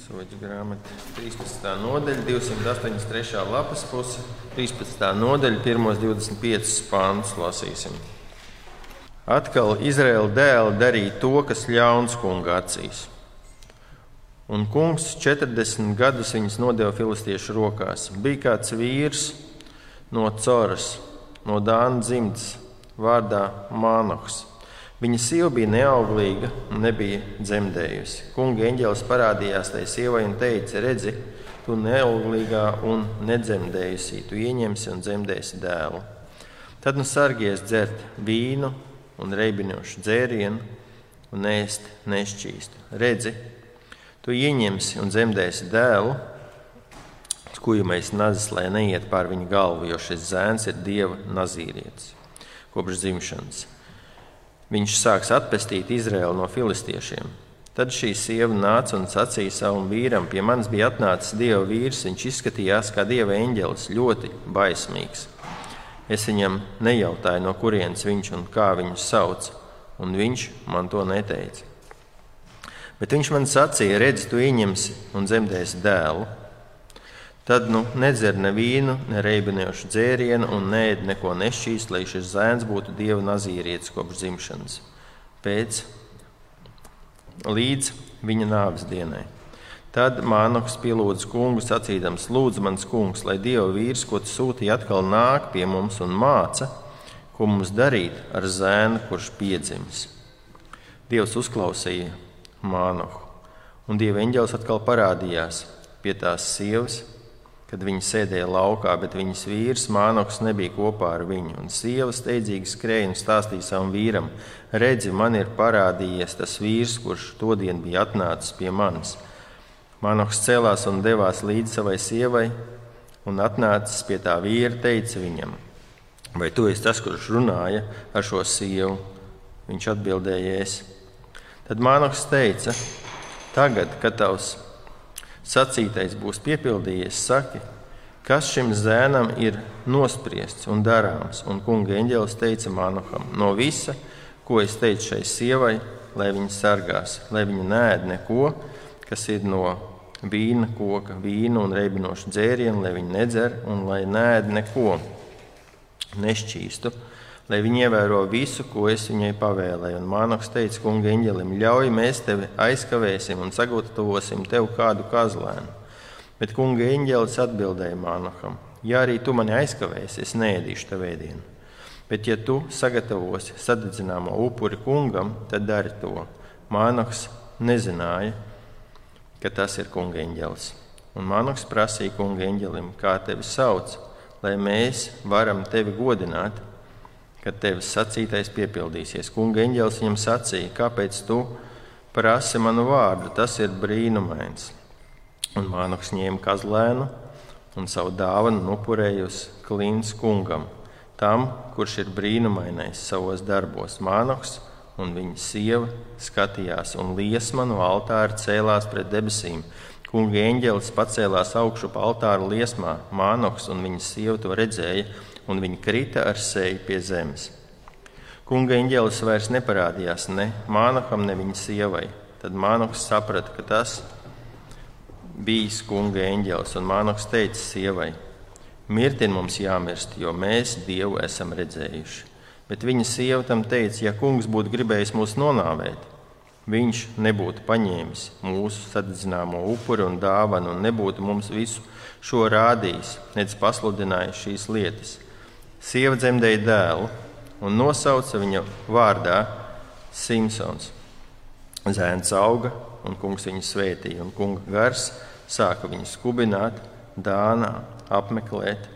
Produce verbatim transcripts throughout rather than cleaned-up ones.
Soģa grāmata, trīspadsmitā nodaļa, divsimt astoņdesmit trešā lapas puse, trīspadsmitā nodaļa, pirmos divdesmit piecus pāntus lasīsim. Atkal Izraēla dēli darīja to, kas ļauns kunga acīs. Un kungs četrdesmit gadus viņus nodeva filistiešu rokās. Bija kāds vīrs no Coras, no Dāna dzimtas, vārdā Mānohs. Viņa sieva bija neauglīga un nebija dzemdējusi. Kunga eņģelis parādījās tai sievai un teica: redzi, tu neauglīgā un nedzemdējusī, tu ieņemsi un dzemdēsi dēlu. Tad nu sargies dzert vīnu un reibinošu dzērienu un ēst nešķīstu. Redzi, tu ieņemsi un dzemdēsi dēlu, skujamais nazis, lai neiet pār viņa galvu, jo šis zēns ir Dieva nazīrietis kopš dzimšanas. Viņš sāks atpestīt Izraēlu no filistiešiem. Tad šī sieva nāca un sacīja savam vīram: pie manis bija atnācis Dieva vīrs, viņš izskatījās kā Dieva eņģelis, ļoti baismīgs. Es viņam nejautāju, no kurienes viņš un kā viņu sauc, un viņš man to neteica. Bet viņš man sacīja: redzi, tu ieņemsi un dzemdēsi dēlu. Tad nu nedzer ne vīnu, ne reibinošu dzērienu un neēd neko nešķīst, lai šis zēns būtu Dieva nazīrietis kopš dzimšanas, pēc līdz viņa nāves dienai. Tad Mānohs pielūdza kungu, sacīdams: lūdzu, mans kungs, lai Dieva vīrs, ko tu sūtīji, atkal nāk pie mums un māca, ko mums darīt ar zēnu, kurš piedzimis. Dievs uzklausīja Mānohu, un Dieva eņģelis atkal parādījās pie tās sievas, kad viņa sēdēja laukā, bet viņas vīrs Mānohs nebija kopā ar viņu. Un sieva steidzīgi skrēja un stāstīja savam vīram: redzi, man ir parādījies tas vīrs, kurš todien bija atnācis pie manis. Mānohs cēlās un devās līdz savai sievai, un atnācis pie tā vīra, teica viņam: vai tu esi tas, kurš runāja ar šo sievu? Viņš atbildēja: es. Tad Mānohs teica: tagad, kad tavs sacītais būs piepildījies, saki, kas šim zēnam ir nospriests un darāms. Un kunga eņģelis teica Mānoham: no visa, ko es teicu šai sievai, lai viņa sargās, lai viņa neēd neko, kas ir no vīna koka, vīnu un reibinošu dzērienu, lai viņa nedzer un lai neēd neko nešķīstu, lai viņa ievēro visu, ko es viņai pavēlēju. Un Mānohs teica kunga eņģelim: ļauj, mēs tevi aizkavēsim un sagatavosim tev kādu kazlēnu. Bet kunga eņģelis atbildēja Mānoham: ja arī tu mani aizkavēsi, es neēdīšu tev ēdienu. Bet ja tu sagatavosi sadedzināmo upuri kungam, tad dari to. Mānohs nezināja, ka tas ir kunga eņģelis. Un Mānohs prasīja kunga eņģelim: kā tevi sauc, lai mēs varam tevi godināt, kad tevis sacītais piepildīsies. Kunga eņģelis viņam sacīja: kāpēc tu prasi manu vārdu? Tas ir brīnumains. Un Mānohs ņēma kazlēnu un savu dāvanu un upurēja uz klints kungam, tam, kurš ir brīnumainais savos darbos. Mānohs un viņa sieva skatījās, un liesma no altāra cēlās pret debesīm. Kunga eņģelis pacēlās augšu pa altāra liesmā. Mānohs un viņa sieva to redzēja, un viņi krita ar seju pie zemes. Kunga eņģelis vairs neparādījās ne Mānoham, ne viņa sievai. Tad Mānohs saprata, ka tas bijis kunga eņģelis, un Mānohs teica sievai: mirtin mums jāmirst, jo mēs Dievu esam redzējuši. Bet viņa sieva tam teica: ja kungs būtu gribējis mūs nonāvēt, viņš nebūtu paņēmis mūsu sadedzināmo upuri un dāvanu un nebūtu mums visu šo rādījis, nedz pasludinājis šīs lietas. Sieva dzemdēja dēlu un nosauca viņa vārdā Simsons. Zēns auga, un kungs viņu svētīja, un kunga gars sāka viņu skubināt Dānā, apmeklēt,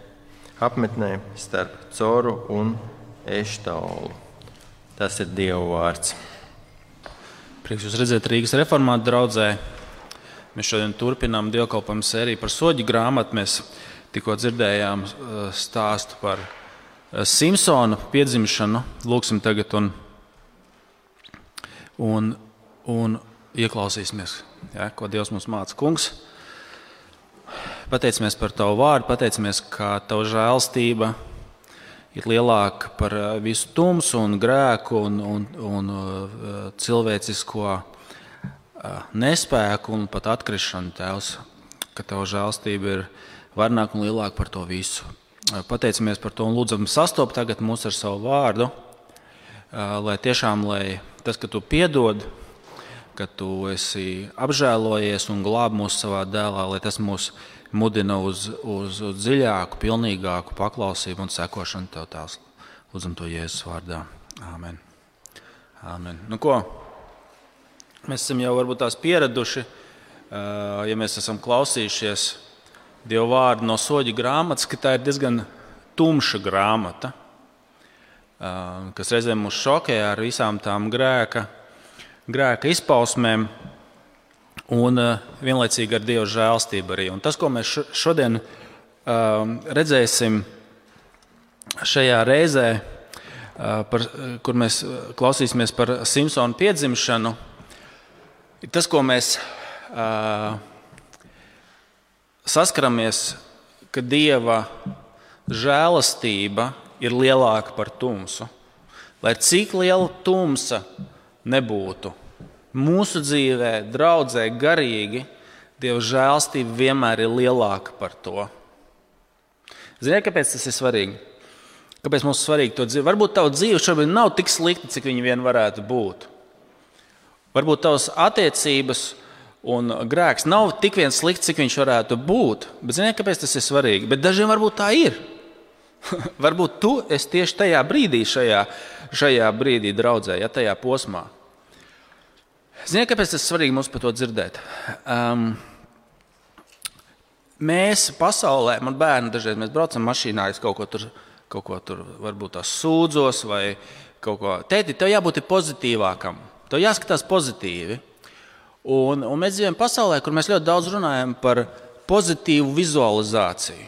apmetnē starp Coru un Eštaolu. Tas ir Dieva vārds. Prieks jūs redzēt Rīgas reformātu draudzē. Mēs šodien turpinām dievkalpojumu sēriju par Soģa grāmatu. Mēs tikko dzirdējām stāstu par Simsona piedzimšanu. Lūksim tagad un, un, un ieklausīsimies, ja, ko Dievs mums māca. Kungs, pateicamies par tavu vārdu, pateicamies, ka tava žēlstība ir lielāka par visu tumsu un grēku un, un, un cilvēcisko nespēku un pat atkrišanu, Tēvs, ka Tava žēlstība ir varenāka un lielāka par to visu. Pateicamies par to un lūdzam sastopt tagad mūs ar savu vārdu, lai tiešām, lai tas, ka Tu piedod, ka Tu esi apžēlojies un glāb mūs savā dēlā, lai tas mūs mudina uz, uz, uz dziļāku, pilnīgāku paklausību un sekošanu Tev, Tēvs. Lūdzam to Jēzus vārdā. Āmen. Āmen. Nu ko? Mēs esam jau varbūt tās pieraduši, ja mēs esam klausījušies Dieva vārdu no Soļu grāmatas, ka tā ir diezgan tumša grāmata, kas reizēm mūs šokē ar visām tām grēka, grēka izpausmēm un vienlaicīgi ar Dieva žēlstību arī. Un tas, ko mēs šodien redzēsim šajā reizē, par, kur mēs klausīsimies par Simpsona piedzimšanu, ir tas, ko mēs saskaramies, ka Dieva žēlastība ir lielāka par tumsu. Lai cik liela tumsa nebūtu mūsu dzīvē, draudzē, garīgi, Dieva žēlastība vienmēr ir lielāka par to. Ziniet, kāpēc tas ir svarīgi? Kāpēc mums ir svarīgi to dzīvi? Varbūt tava dzīve šobrīd nav tik slikta, cik viņa vien varētu būt. Varbūt tavas attiecības un grēks nav tik viens slikts, cik viņš varētu būt. Bet ziniet, kāpēc tas ir svarīgi? Bet dažiem varbūt tā ir. Varbūt tu esi tieši tajā brīdī, šajā, šajā brīdī draudzē, ja tajā posmā. Ziniet, kāpēc tas ir svarīgi mums par to dzirdēt? Um, mēs pasaulē, man bērni dažreiz, mēs braucam mašīnā, es kaut ko tur, kaut ko tur varbūt tās sūdzos vai kaut ko. Tēti, tev jābūt pozitīvākam, tev jāskatās pozitīvi. Un, un mēs dzīvojam pasaulē, kur mēs ļoti daudz runājam par pozitīvu vizualizāciju.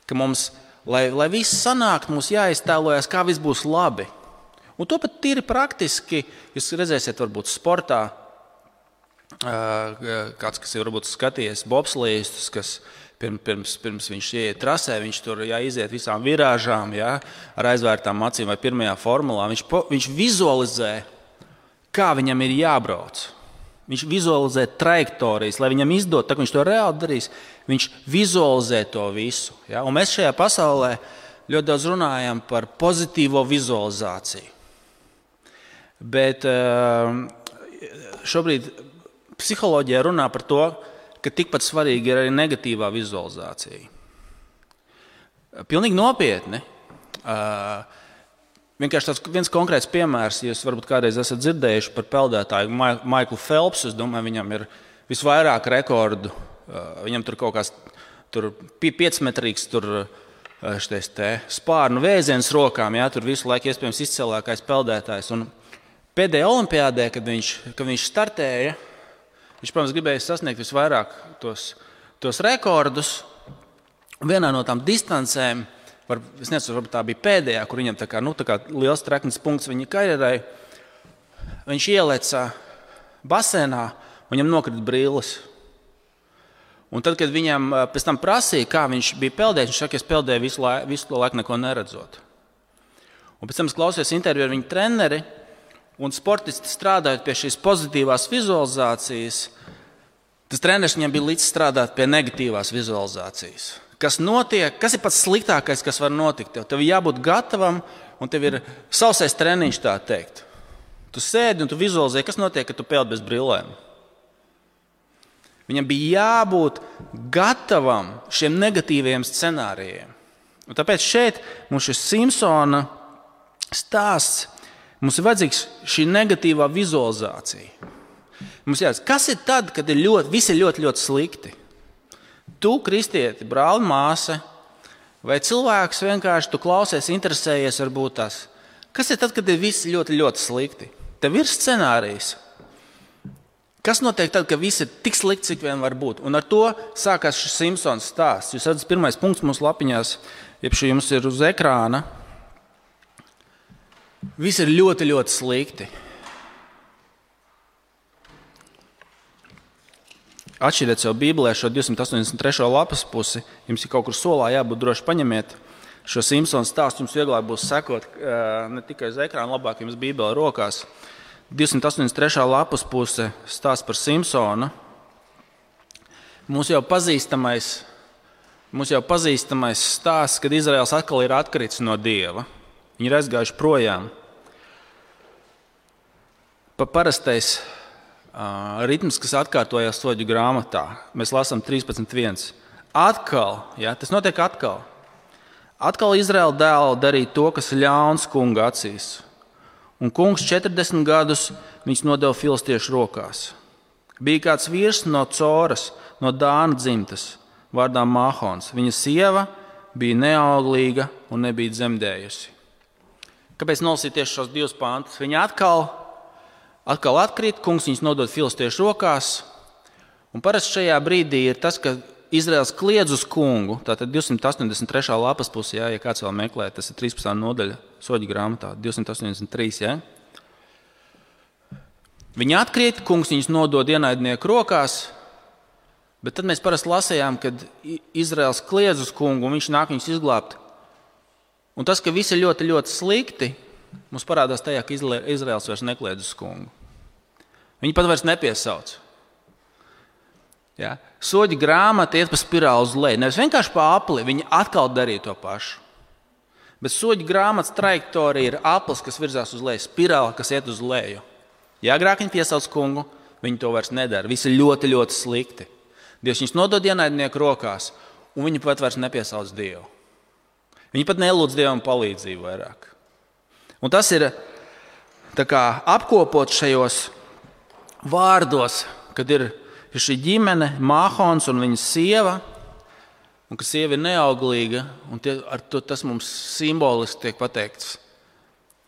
Ka mums, lai, lai viss sanāk, mums jāiztēlojas, kā viss būs labi. Un to pat tīri praktiski, jūs redzēsiet varbūt sportā, kāds, kas ir varbūt skatījies bobslīstus, kas pirms, pirms viņš ieiet trasē, viņš tur jāiziet visām virāžām, jā, ar aizvērtām acīm vai pirmajā formulā. Viņš, viņš vizualizē, kā viņam ir jābrauc. Viņš vizualizē trajektorijas, lai viņam izdod, tā kā viņš to reāli darīs, viņš vizualizē to visu. Ja? Un mēs šajā pasaulē ļoti daudz runājam par pozitīvo vizualizāciju. Bet šobrīd psiholoģija runā par to, ka tikpat svarīgi ir arī negatīvā vizualizācija. Pilnīgi nopietni. Vienkārši tāds viens konkrēts piemērs, ja jūs varbūt kādreiz esat dzirdējuši par peldētāju Maiklu Phelpsu, es domāju, viņam ir visvairāk rekordu. Viņam tur kaut kāds tur piecmetrīgs tur šitais te spārnu vēziens rokām, jā, tur visu laiku iespējams izcēlākais peldētājs. Un pēdējā olimpiādē, kad viņš, kad viņš startēja, viņš, protams, gribēja sasniegt visvairāk tos, tos rekordus. Vienā no tām distancēm, Var, es nezinu, varbūt tā bija pēdējā, kur viņam tā kā, nu, tā kā liels treknis punkts viņa karjerai. Viņš ieleca basēnā, un viņam nokrita brilles. Un tad, kad viņam pēc tam prasīja, kā viņš bija peldējis, viņš saka, es peldēju visu, lai, visu to laiku neko neredzot. Un pēc tam es klausījos interviju ar viņu treneri, un sportisti strādājot pie šīs pozitīvās vizualizācijas, tas treneris viņam bija līdz strādāt pie negatīvās vizualizācijas. Kas notiek, kas ir pats sliktākais, kas var notikt? Tev, tev jābūt gatavam, un tev ir sausais treniņš, tā teikt. Tu sēdi un tu vizualizē, kas notiek, kad tu peld bez brillēm. Viņam bija jābūt gatavam šiem negatīviem scenārijiem. Un tāpēc šeit mums šis Simpsona stāsts, mums ir vajadzīgs šī negatīvā vizualizācija. Mums jāsaka, kas ir tad, kad ir ļoti, viss ir ļoti, ļoti slikti? Tu, kristieti, brāli, māsa, vai cilvēks vienkārši tu klausies, interesējies varbūt tās. Kas ir tad, kad ir viss ļoti, ļoti slikti? Tev ir scenārijs. Kas notiek tad, kad viss ir tik slikti, cik vien var būt? Un ar to sākās šis Simpsons stāsts. Jūs redzat, pirmais punkts mums lapiņās, jeb šī jums ir uz ekrāna. Viss ir ļoti, ļoti slikti. Atšķiriet sev Bībelē šo divsimt astoņdesmit trešo lapas pusi. Jums ir kaut kur solā jābūt droši paņemiet šo Simpsona stāstu. Jums vieglāk būs sekot ne tikai uz ekrāna, labāk jums Bībelē rokās. divsimt astoņdesmit trešā lapas puse stāsts par Simpsonu. Mums jau pazīstamais, mums jau pazīstamais stāsts, kad Izraels atkal ir atkritis no Dieva. Viņi ir aizgājuši projām. Pa parastais uh, ritms, kas atkārtojās Soģu grāmatā, mēs lasām trīspadsmit viens. Atkal, ja, tas notiek atkal. Atkal Izraela dēli darīja to, kas ir ļauns kunga acīs. Un kungs četrdesmit gadus viņus nodeva filistiešu rokās. Bija kāds vīrs no Coras, no Dāna dzimtas, vārdā Māhons. Viņa sieva bija neauglīga un nebija dzemdējusi. Kāpēc nolasīt tieši šos divus pantus? Viņa atkal, atkal atkrīt, kungs viņus nodod filistiešu rokās. Un parasti šajā brīdī ir tas, ka Izraels kliedz uz kungu, tātad divsimt astoņdesmit trešā lapas pusē, ja, ja kāds vēl meklē, tas ir trīspadsmitā nodaļa Soģu grāmatā, divsimt astoņdesmit trīs. Ja. Viņi atkrīt, kungs viņus nodod ienaidnieku rokās, bet tad mēs parasti lasījām, kad Izraels kliedz uz kungu un viņš nāk viņus izglābt. Un tas, ka viss ir ļoti, ļoti slikti, mums parādās tajā, ka Izraels vairs nekliedz uz kungu. Viņi pat vairs nepiesauc. Ja? Soģi grāmata iet pa spirāli uz leju. Nevis vienkārši pa apli, viņi atkal darīja to pašu. Bet soģi grāmatas trajektorija ir aplis, kas virzās uz leju, spirāli, kas iet uz leju. Ja agrāk viņi piesauc kungu, viņi to vairs nedara. Visi ir ļoti, ļoti slikti. Dievs viņus nodod ienaidnieku rokās, un viņi pat vairs nepiesauc Dievu. Viņi pat nelūdz Dievam palīdzību vairāk. Un tas ir tā kā apkopot šajos vārdos, kad ir ir šī ģimene, Māhons un viņas sieva, un ka sieva ir neauglīga, un tie, ar to tas mums simboliski tiek pateikts.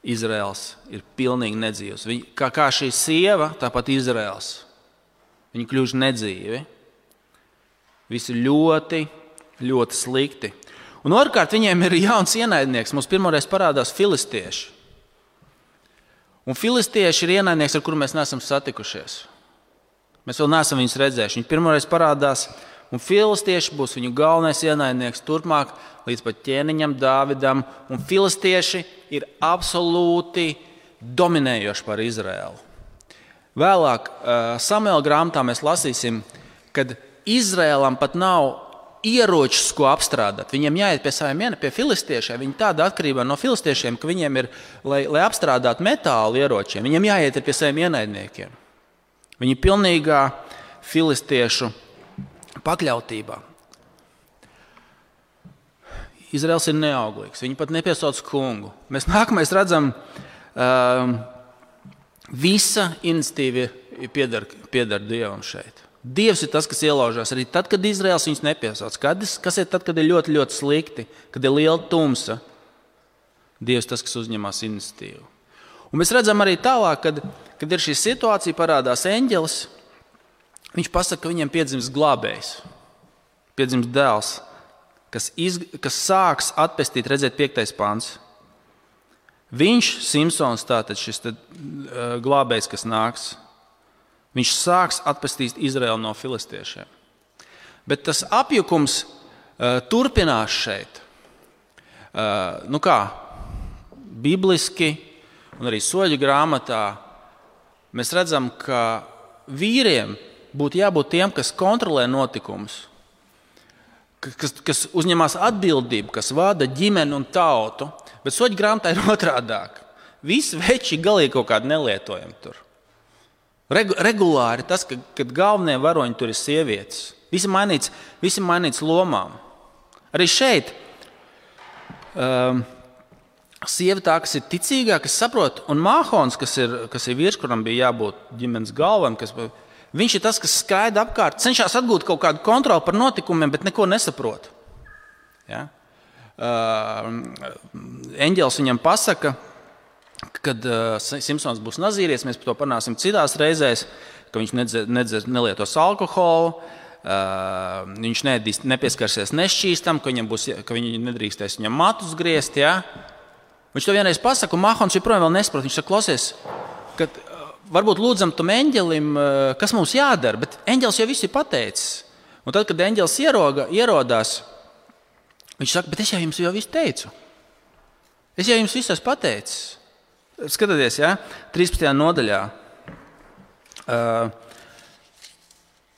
Izraels ir pilnīgi nedzīvs. Viņa, kā, kā šī sieva, tāpat Izraels. Viņi kļuvuši nedzīvi. Visi ļoti, ļoti slikti. Un otrkārt, viņiem ir jauns ienaidnieks. Mums pirmoreiz parādās filistieši. Un filistieši ir ienaidnieks, ar kuru mēs neesam satikušies. Mēs vēl neesam viņus redzējuši. Viņi pirmoreiz parādās, un filistieši būs viņu galvenais ienaidnieks turpmāk līdz pat ķēniņam Dāvidam. Un filistieši ir absolūti dominējoši par Izraēlu. Vēlāk Samuela grāmatā mēs lasīsim, kad Izraēlam pat nav ieročus, ko apstrādāt. Viņiem jāiet pie saviem ienaidniekiem, pie filistiešiem. Viņi tāda atkarībā no filistiešiem, ka viņiem ir, lai, lai apstrādātu metālu ieročiem, viņiem jāiet pie saviem ienaidniekiem. Viņi ir pilnīgā filistiešu pakļautībā. Izraels ir neauglīgs. Viņi pat nepiesauc kungu. Mēs nākamais redzam, um, visa iniciatīva pieder, pieder Dievam šeit. Dievs ir tas, kas ielaužās arī tad, kad Izraels viņus nepiesauc. Kad, kas ir tad, kad ir ļoti, ļoti slikti, kad ir liela tumsa? Dievs tas, kas uzņemās iniciatīvu. Un mēs redzam arī tālāk, kad, kad ir šī situācija, parādās eņģelis. Viņš pasaka, ka viņiem piedzims glābējs, piedzims dēls, kas, iz, kas sāks atpestīt, redzēt piektais pants. Viņš, Simpsons, tātad šis tad, uh, glābējs, kas nāks, viņš sāks atpestīt Izraelu no filistiešiem. Bet tas apjukums uh, turpinās šeit. Uh, nu kā, bibliski, un arī Soģu grāmatā mēs redzam, ka vīriem būtu jābūt tiem, kas kontrolē notikumus, kas, kas uzņemās atbildību, kas vada ģimeni un tautu, bet Soģu grāmatā ir otrādāk. Visi veči galīgi kaut kādi nelietojami tur. Regu, regulāri tas, ka, kad galvenie varoņi tur ir sievietes. Visi mainīts, visi mainīts lomām. Arī šeit um, sieva tā, kas ir ticīgā, kas saprot, un Māhons, kas ir, kas ir vīrs, kuram bija jābūt ģimenes galvam, kas, viņš ir tas, kas skaida apkārt, cenšas atgūt kaut kādu kontroli par notikumiem, bet neko nesaprot. Ja? Uh, eņģelis viņam pasaka, kad uh, Simpsons būs nazīrietis, mēs par to parunāsim citās reizēs, ka viņš nedzer, nedzer, nelietos alkoholu, uh, viņš neēdīs, nepieskarsies nešķīstam, ka, būs, ka viņi nedrīkstēs viņam matus griezt, ja? Viņš to vienreiz pasaka, un Māhons joprojām vēl nesaprot. Viņš saka, klausies, ka varbūt lūdzam tam eņģelim, kas mums jādara, bet eņģelis jau viss ir pateicis. Un tad, kad eņģelis ieroga, ierodās, viņš saka, bet es jau jums jau visu teicu. Es jau jums visu esmu pateicis. Skatieties, ja? trīspadsmitajā nodaļā.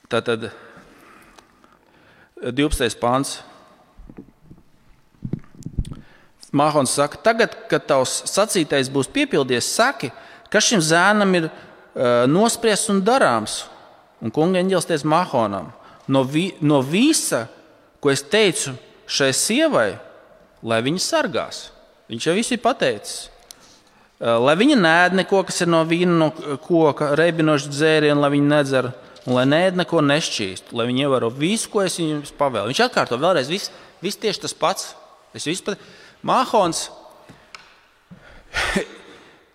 Tātad divpadsmitais pants. Mahons saka, tagad, kad tavs sacītais būs piepildies, saki, kas šim zēnam ir uh, nospriests un darāms. Un kunga eņģelis teica Mahonam, no, vi, no visa, ko es teicu šai sievai, lai viņa sargās. Viņš jau visu ir pateicis. Uh, lai viņa nēd neko, kas ir no vīna, no koka, reibinošs dzērienu, lai viņa nedzer, un lai nēd neko nešķīst, lai viņa ievēro visu, ko es viņam pavēlu. Viņš atkārto vēlreiz, viss vis tieši tas pats. Es visu pat... Mahons,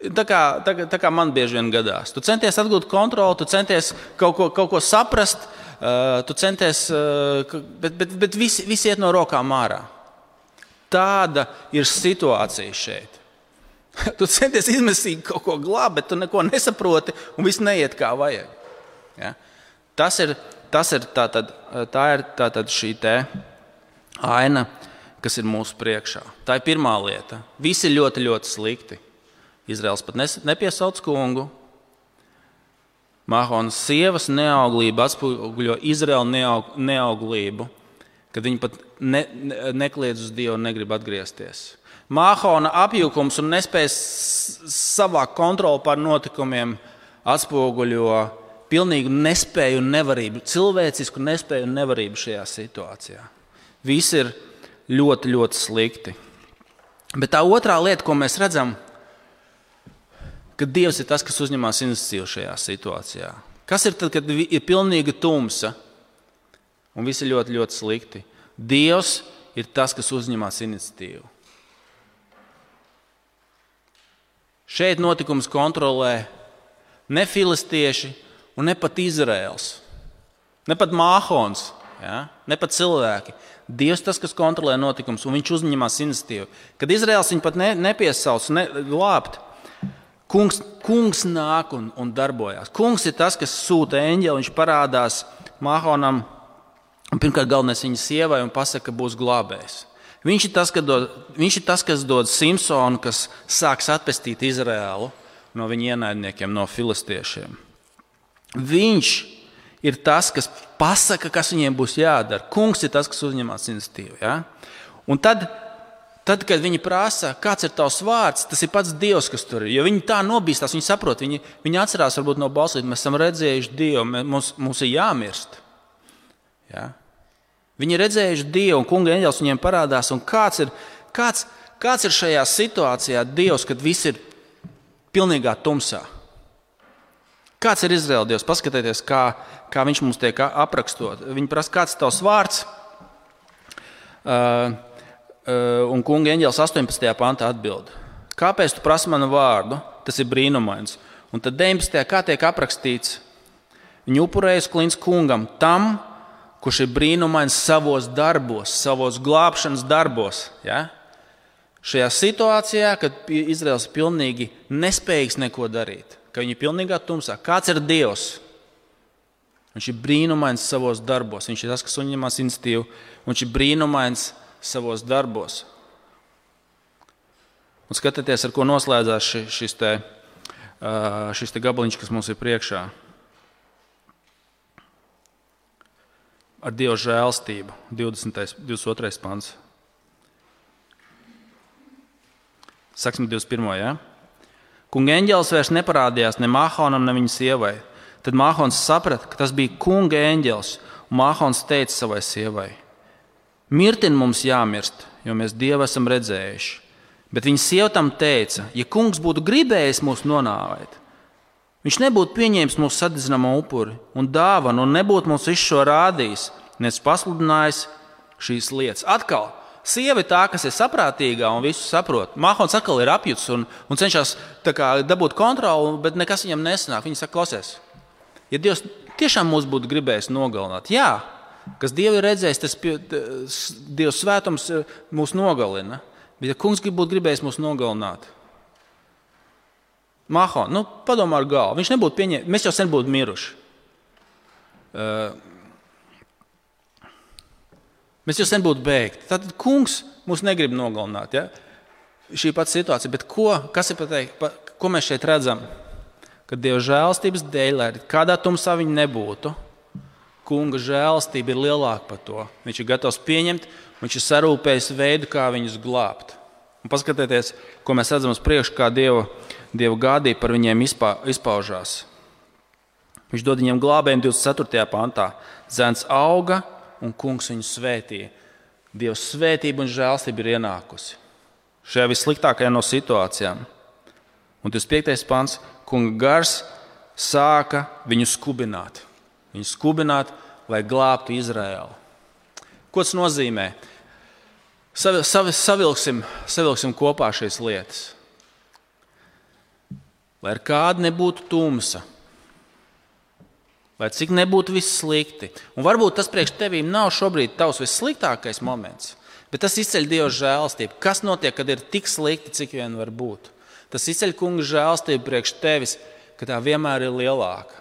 tā kā, tā, tā kā man bieži vien gadās. Tu centies atgūt kontroli, tu centies kaut ko, kaut ko saprast, uh, tu centies, uh, bet, bet, bet visi, visi iet no rokām ārā. Tāda ir situācija šeit. Tu centies izmesīgi kaut ko glābt, bet tu neko nesaproti un viss neiet kā vajag. Ja? Tas ir, tas ir tātad, tā ir tātad šī te aina, kas ir mūsu priekšā. Tā ir pirmā lieta. Visi ir ļoti, ļoti slikti. Izraels pat nepiesauc kungu. Mahonas sievas neauglība atspoguļo Izraela neaug, neauglību, kad viņi pat ne, ne, nekliedz uz Dievu un negrib atgriezties. Mahona apjukums un nespējas savā kontroli pār notikumiem atspoguļo pilnīgu nespēju un nevarību, cilvēcisku nespēju un nevarību šajā situācijā. Visi ir ļoti, ļoti slikti. Bet tā otrā lieta, ko mēs redzam, ka Dievs ir tas, kas uzņemās iniciatīvu šajā situācijā. Kas ir tad, kad ir pilnīga tumsa un viss ir ļoti, ļoti slikti? Dievs ir tas, kas uzņemās iniciatīvu. Šeit notikums kontrolē ne filistieši un ne pat Izraels, ne pat Mahons, ja? Ne pat cilvēki. Dievs tas, kas kontrolē notikums, un viņš uzņemās iniciatīvu. Kad Izraels viņu pat ne, nepiesauc, ne, glābt, kungs, kungs nāk un, un darbojās. Kungs ir tas, kas sūta eņģeli, viņš parādās Mahonam, un pirmkārt galvenais viņa sievai, un pasaka, ka būs glābējs. Viņš ir tas, kas dod, viņš ir tas, kas dod Simpsonu, kas sāks atpestīt Izraēlu no viņa ienaidniekiem, no filistiešiem. Viņš ir tas, kas pasaka, kas viņiem būs jādara. Kungs ir tas, kas uzņemās iniciatīvu. Ja? Un tad, tad, kad viņi prasa, kāds ir tavs vārds, tas ir pats Dievs, kas tur ir. Jo viņi tā nobīstās, viņi saprot, viņi, viņi atcerās varbūt no balsīt, mēs esam redzējuši Dievu, mums, mums ir jāmirst. Ja? Viņi ir redzējuši Dievu, un kunga eņģelis viņiem parādās. Un kāds ir, kāds, kāds ir šajā situācijā Dievs, kad viss ir pilnīgā tumsā? Kāds ir Izraēla Dievs? Paskatieties, kā, kā viņš mums tiek aprakstot. Viņi prasa, kāds ir tavs vārds? Uh, uh, un kunga eņģelis astoņpadsmitajā pantā atbild. Kāpēc tu prasi manu vārdu? Tas ir brīnumains. Un tad deviņpadsmitajā kā tiek aprakstīts? Viņi upurējas klints kungam, tam, kurš ir brīnumains savos darbos, savos glābšanas darbos. Ja? Šajā situācijā, kad Izraels ir pilnīgi nespējīgs neko darīt, ka viņi ir pilnīgā tumsā. Kāds ir Dievs? Viņš ir brīnumains savos darbos. Viņš ir tas, kas uzņemās iniciatīvu. Viņš ir brīnumains savos darbos. Un skatieties, ar ko noslēdzās šis, šis, te, šis te gabaliņš, kas mums ir priekšā. Ar Dieva žēlstību. divdesmit otrais pants. Saksim divdesmit pirmais. Ja? Kunga eņģelis vairs neparādījās ne Mahonam, ne viņa sievai. Tad Mahons saprata, ka tas bija kunga eņģelis, un Mahons teica savai sievai: Mirtin mums jāmirst, jo mēs Dievu esam redzējuši. Bet viņa sieva tam teica: ja kungs būtu gribējis mūs nonāvēt, viņš nebūtu pieņēmis mūsu sadedzinamo upuri un dāvanu, un nebūtu mums visu šo rādījis, nes pasludinājis šīs lietas. Atkal. Sieva ir tā, kas ir saprātīgā un visu saprot. Mahons atkal ir apjuts un, un cenšas kā, dabūt kontroli, bet nekas viņam nesanāk. Viņa saka, klausies, ja Dievs tiešām mūs būtu gribējis nogalināt, jā, kas Dievu ir redzējis, tas Dieva svētums mūs nogalina. Bet ja kungs būtu gribējis mūs nogalināt, Mahon, nu, padomā ar galvu, viņš nebūtu pieņēmis, mēs jau sen būtu miruši. Uh, Mēs jau sen būtu beigti. Tātad kungs mūs negrib nogalināt. Ja? Šī pati situācija. Bet ko, kas ir pateikt, pa, ko mēs šeit redzam? Kad Dieva žēlstības dēļ, lai kādā tumsā viņi nebūtu, kunga žēlstība ir lielāka par to. Viņš ir gatavs pieņemt, viņš ir sarūpējis veidu, kā viņus glābt. Un paskatieties, ko mēs redzam uz priekšu, kā Dieva, Dieva gādība par viņiem izpā, izpaužās. Viņš dod viņiem glābējumu divdesmit ceturtajā pantā. Zēns auga un kungs viņu svētīja. Dieva svētība un žēlstība ir ienākusi šajā vissliktākajā no situācijām. Un divdesmit piektais pants. Kunga gars sāka viņu skubināt. Viņu skubināt, lai glābtu Izraēlu. Ko tas nozīmē? Savi, savi, savilksim, savilksim kopā šīs lietas. Lai ar kādu nebūtu tumsa, lai cik nebūtu viss slikti. Un varbūt tas priekš tevīm nav šobrīd tavs vissliktākais moments, bet tas izceļ Dieva žēlstību. Kas notiek, kad ir tik slikti, cik vien var būt? Tas izceļ kunga žēlstību priekš tevis, ka tā vienmēr ir lielāka.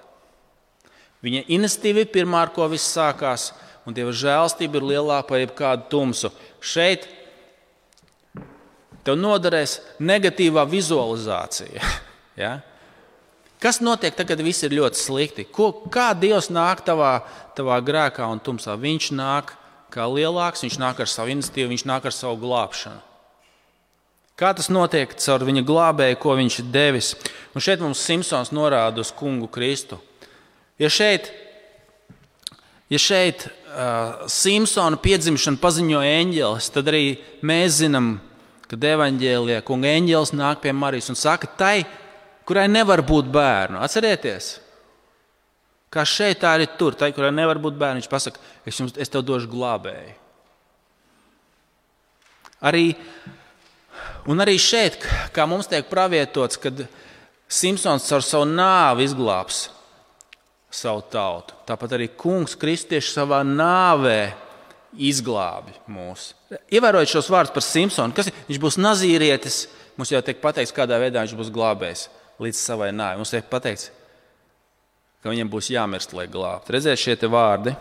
Viņa iniciatīva ir pirmā, ar ko viss sākās, un Dieva žēlstība ir lielāka par jebkādu tumsu. Šeit tev noderēs negatīvā vizualizācija. Ja? Kas notiek tagad, kad viss ir ļoti slikti? Ko, kā Dievs nāk tavā, tavā grēkā un tumsā? Viņš nāk kā lielāks, viņš nāk ar savu iniciatīvu, viņš nāk ar savu glābšanu. Kā tas notiek caur viņa glābēju, ko viņš ir devis? Un šeit mums Simpsons norāda uz kungu Kristu. Ja šeit, ja šeit uh, Simpsona piedzimšanu paziņo eņģelis, tad arī mēs zinām, kad evaņģēlijā kunga eņģelis nāk pie Marijas un saka tai, kurai nevar būt bērnu. Atcerieties? Kā šeit tā arī tur, tai, kurai nevar būt bērnu, viņš pasaka, es, jums, es tev došu glābēju. Arī Un arī šeit, kā mums tiek pravietots, kad Simpsons caur savu nāvi izglābs savu tautu. Tāpat arī kungs kristieši savā nāvē izglābi mūs. Ievērojot šos vārdus par Simpsonu, kas viņš būs nazīrietis, mums jau tiek pateikts, kādā veidā viņš būs glābējis līdz savai nāvei. Mums tiek pateikts, ka viņam būs jāmirst, lai glābt. Redziet šie te vārdi.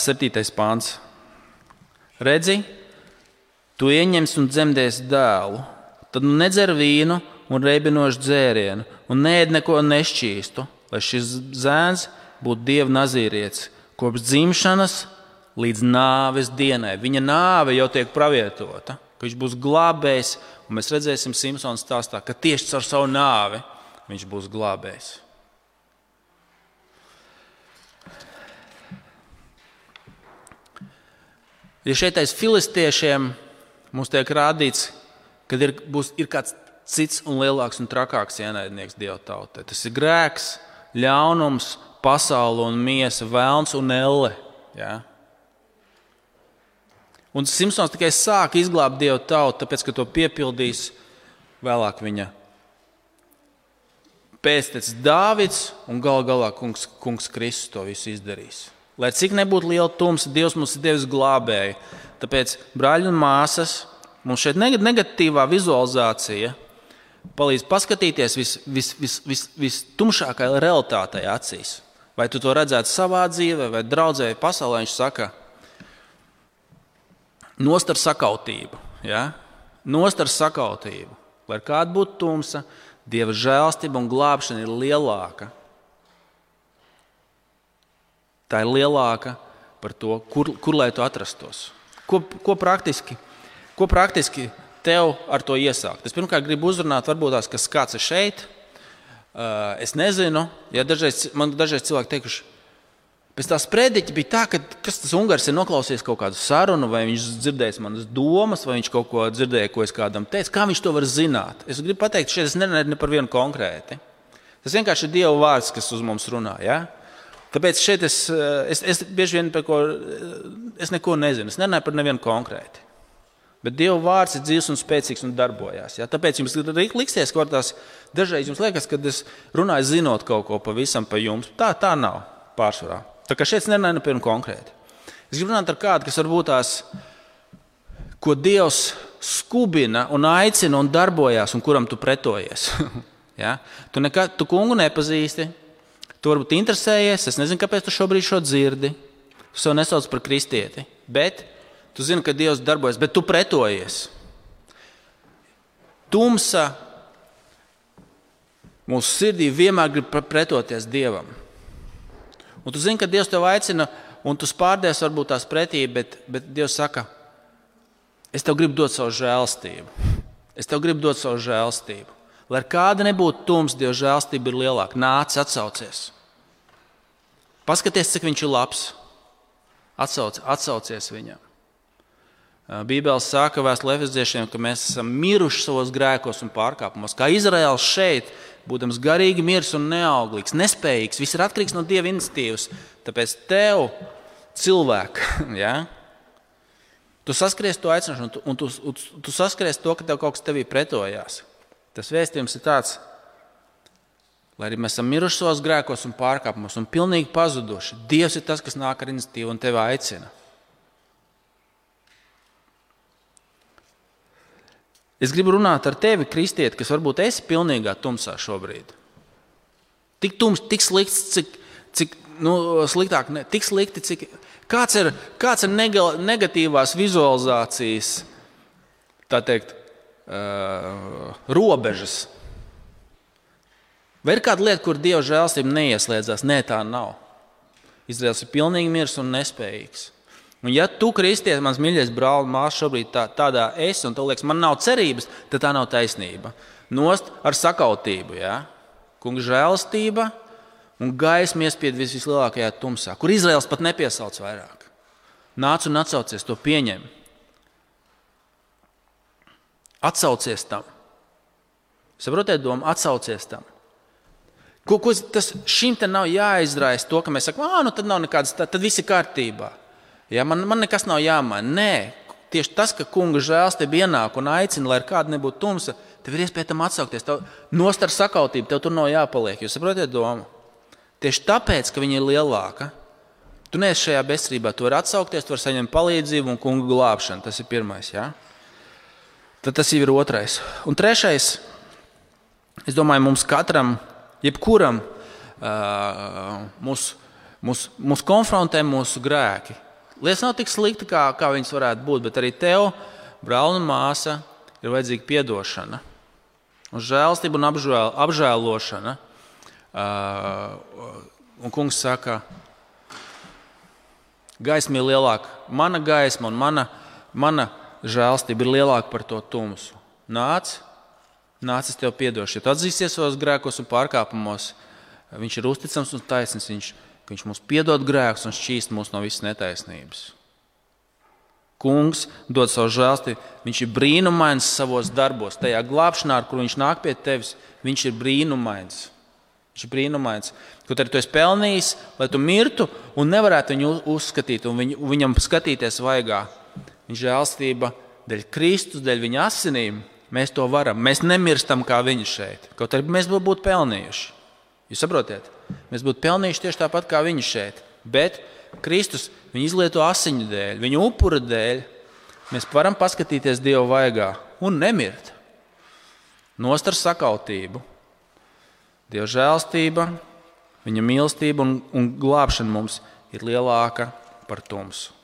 Septītais pāns. Redzi, tu ieņems un dzemdēsi dēlu, tad nu nedzer vīnu un reibinošu dzērienu un neēd neko nešķīstu, lai šis zēns būtu Dieva nazīrietis kopš dzimšanas līdz nāves dienai. Viņa nāve jau tiek pravietota, ka viņš būs glābējs, un mēs redzēsim Simpsona stāstā, ka tieši caur savu nāvi viņš būs glābējs. Ja šeit aiz filistiešiem mums tiek rādīts, ka ir, būs, ir kāds cits un lielāks un trakāks ienaidnieks Dieva tautai. Tas ir grēks, ļaunums, pasaule un miesa, velns un elle. Ja? Un Simpsons tikai sāk izglābt Dieva tautu, tāpēc, ka to piepildīs vēlāk viņa pēctecis Dāvids un gal galā kungs, kungs Kristus to visu izdarīs. Lai cik nebūtu liela tumsa, Dievs mums ir devis glābēju. Tāpēc, brāļi un māsas, mums šeit negatīvā vizualizācija palīdz paskatīties vis, vis, vis, vis, vistumšākajai realitātei acīs. Vai tu to redzētu savā dzīvē, vai draudzē, vai pasaulē, viņš saka, nost ar sakautību. Ja? Nost ar sakautību. Lai kāda būtu tumsa, Dieva žēlstība un glābšana ir lielāka. Tā ir lielāka par to, kur, kur lai tu atrastos. Ko, ko, praktiski, ko praktiski tev ar to iesākt? Es pirmkārt gribu uzrunāt, varbūt tās, kas kāds ir šeit. Uh, es nezinu, ja dažreiz, man dažreiz cilvēki teikuši, pēc tās prediķa bija tā, ka kas tas Ungars ir noklausījies kaut kādu sarunu, vai viņš dzirdējis manas domas, vai viņš kaut ko dzirdēja, ko es kādam teicu. Kā viņš to var zināt? Es gribu pateikt, šeit es nerunāju ne par vienu konkrēti. Tas vienkārši ir Dieva vārds, kas uz mums runā. Ja? Tāpēc šeit es, es, es bieži vien par ko, es neko nezinu. Es nerunāju par nevienu konkrēti. Bet Dieva vārds ir dzīvs un spēcīgs un darbojās. Ja? Tāpēc jums liksies, ka tās dažreiz jums liekas, kad es runāju zinot kaut ko pavisam par jums. Tā, tā nav pārsvarā. Tā kā šeit es nerunāju par vienu konkrēti. Es gribu runāt ar kādu, kas varbūt tās, ko Dievs skubina un aicina un darbojās un kuram tu pretojies. ja? Tu, nekā, tu kungu nepazīsti. Tu varbūt interesējies, es nezinu, kāpēc tu šobrīd šo dzirdi. Tu sev nesauc par kristieti, bet tu zini, ka Dievs darbojas, bet tu pretojies. tumsa mūsu sirdī vienmēr grib pretoties Dievam. Un tu zini, ka Dievs tev aicina, un tu spārdies varbūt tās pretī, bet, bet Dievs saka, es tev gribu dot savu žēlstību. Es tev gribu dot savu žēlstību. Lai ar kāda nebūtu tums, Dieva žēlstība ir lielāka. Nāc, atsaucies. Paskaties, cik viņš ir labs. Atsauc, atsaucies viņam. Bībele saka vēstulē Efeziešiem, ka mēs esam miruši savos grēkos un pārkāpumos. Kā Izraēls šeit, būdams garīgi mirs un neauglīgs, nespējīgs, viss ir atkarīgs no Dieva iniciatīvas. Tāpēc tev, cilvēku, ja, tu saskaries to aicināšanu, un tu, un tu, tu, tu saskaries to, ka tev kaut kas tevī pretojās. Tas vēstījums ir tāds, lai arī mēs esam miruši savos grēkos un pārkāpumos un pilnīgi pazuduši. Dievs ir tas, kas nāk ar iniciatīvu un tevi aicina. Es gribu runāt ar tevi, kristieti, kas varbūt esi pilnīgā tumsā šobrīd. Tik tums, tik slikts, cik, cik nu, sliktāk, ne, tik slikti, cik... Kāds ir, kāds ir negatīvās vizualizācijas, tā teikt, uh, robežas? Vai ir kāda lieta, kur Dieva žēlstība neieslēdzās? Nē, tā nav. Izraels ir pilnīgi mirs un nespējīgs. Un ja tu, kristietis, mans mīļais brāl un māsa, šobrīd tā, tādā esi, un tev liekas, man nav cerības, tad tā nav taisnība. Nost ar sakautību, ja? Kunga žēlastība un gaisma iespied vis, vislielākajā tumsā, kur Izraels pat nepiesauc vairāk. Nāc un atsaucies, to pieņem. Atsaucies tam. Saprotiet domu, atsaucies tam. Ko, ko tas šim te nav jāizraisa to, ka mēs sakam, ā, nu tad nav nekādas, tad, tad viss ir kārtībā. Ja, man, man nekas nav jāmaina. Nē, tieši tas, ka kunga žēlstība ienāk un aicina, lai ar kādu nebūtu tumsa, tev ir iespēja tam atsaukties. Tev nost ar sakautību, tev tur nav jāpaliek. Jūs saprotiet domu? Tieši tāpēc, ka viņa ir lielāka, tu neesi šajā bezcerībā. Tu vari atsaukties, tu vari saņemt palīdzību un kunga glābšanu. Tas ir pirmais. Ja? Tad tas jau ir otrais. Un trešais, es domāju, mums katram, jebkuram uh, mūs, mūs, mūs konfrontē mūsu grēki. Lietas nav tik slikti, kā, kā viņas varētu būt, bet arī tev, brāl un māsa, ir vajadzīga piedošana. Un žēlstība un apžēl, apžēlošana. Uh, un kungs saka, gaisma ir lielāka. Mana gaisma un mana, mana žēlstība ir lielāka par to tumsu. Nāc, nāc, es tev piedošu. Ja tu atzīsies savos grēkos un pārkāpumos, viņš ir uzticams un taisnīgs, viņš Viņš mums piedod grēkus un šķīst mūs no visas netaisnības. Kungs dod savu žēlstību. Viņš ir brīnumains savos darbos. Tajā glābšanā, ar kur viņš nāk pie tevis, viņš ir brīnumains. Viņš ir brīnumains. Kaut arī tu esi pelnījis, lai tu mirtu un nevarētu viņu uzskatīt un viņu, viņam skatīties vaigā. Viņa žēlstība dēļ Kristus, dēļ viņa asinīm, mēs to varam. Mēs nemirstam kā viņi šeit. Kaut arī mēs būtu pelnījuši. Jūs saprotiet? Mēs būtu pelnījuši tieši tāpat kā viņi šeit. Bet Kristus viņu izlieto asiņu dēļ, viņu upura dēļ. Mēs varam paskatīties Dieva vaigā un nemirt. Nost ar sakautību. Dieva žēlstība, viņa mīlestība un, un glābšana mums ir lielāka par tumsu.